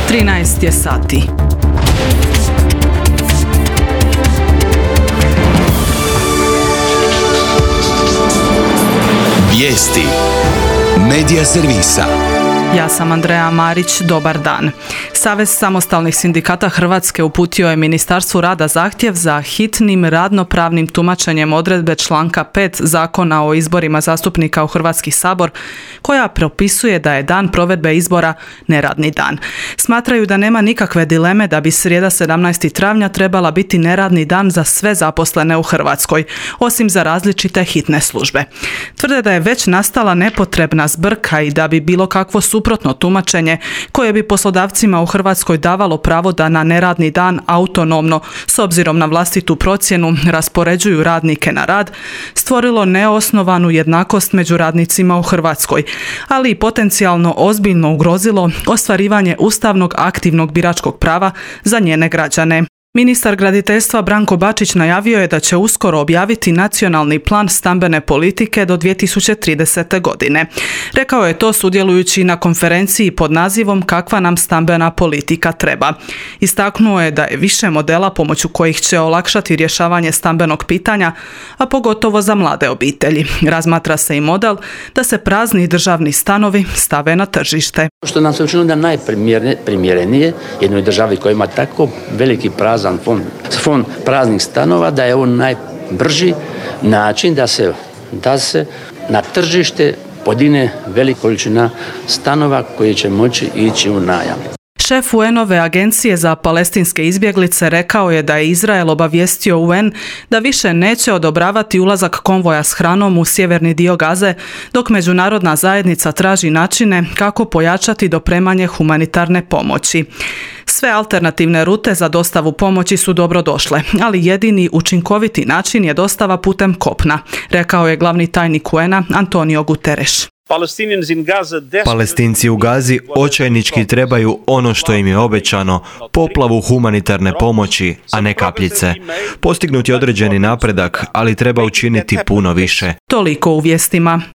13 je sati. Vijesti Medija servisa. Ja sam Andreja Marić, dobar dan. Savez samostalnih sindikata Hrvatske uputio je Ministarstvu rada zahtjev za hitnim radnopravnim tumačenjem odredbe članka 5 Zakona o izborima zastupnika u Hrvatski sabor, koja propisuje da je dan provedbe izbora neradni dan. Smatraju da nema nikakve dileme da bi srijeda 17. travnja trebala biti neradni dan za sve zaposlene u Hrvatskoj, osim za različite hitne službe. Tvrde da je već nastala nepotrebna zbrka i da bi bilo kakvo suprotno tumačenje koje bi poslodavcima u Hrvatskoj davalo pravo da na neradni dan autonomno, s obzirom na vlastitu procjenu, raspoređuju radnike na rad, stvorilo neosnovanu jednakost među radnicima u Hrvatskoj, ali i potencijalno ozbiljno ugrozilo ostvarivanje ustavnog aktivnog biračkog prava za njene građane. Ministar graditeljstva Branko Bačić najavio je da će uskoro objaviti nacionalni plan stambene politike do 2030. godine. Rekao je to sudjelujući na konferenciji pod nazivom Kakva nam stambena politika treba. Istaknuo je da je više modela pomoću kojih će olakšati rješavanje stambenog pitanja, a pogotovo za mlade obitelji. Razmatra se i model da se prazni državni stanovi stave na tržište. Što nam se učinilo da najprimjerenije jednoj državi koja ima tako veliki prazan fond praznih stanova, da je ovo najbrži način da se na tržište podigne velika količina stanova koji će moći ići u najam. Šef UN-ove agencije za palestinske izbjeglice rekao je da je Izrael obavijestio UN da više neće odobravati ulazak konvoja s hranom u sjeverni dio Gaze, dok međunarodna zajednica traži načine kako pojačati dopremanje humanitarne pomoći. Sve alternativne rute za dostavu pomoći su dobrodošle, ali jedini učinkoviti način je dostava putem kopna, rekao je glavni tajnik UN-a Antonio Guterres. Palestinci u Gazi očajnički trebaju ono što im je obećano, poplavu humanitarne pomoći, a ne kapljice. Postignut je određeni napredak, ali treba učiniti puno više. Toliko u vijestima.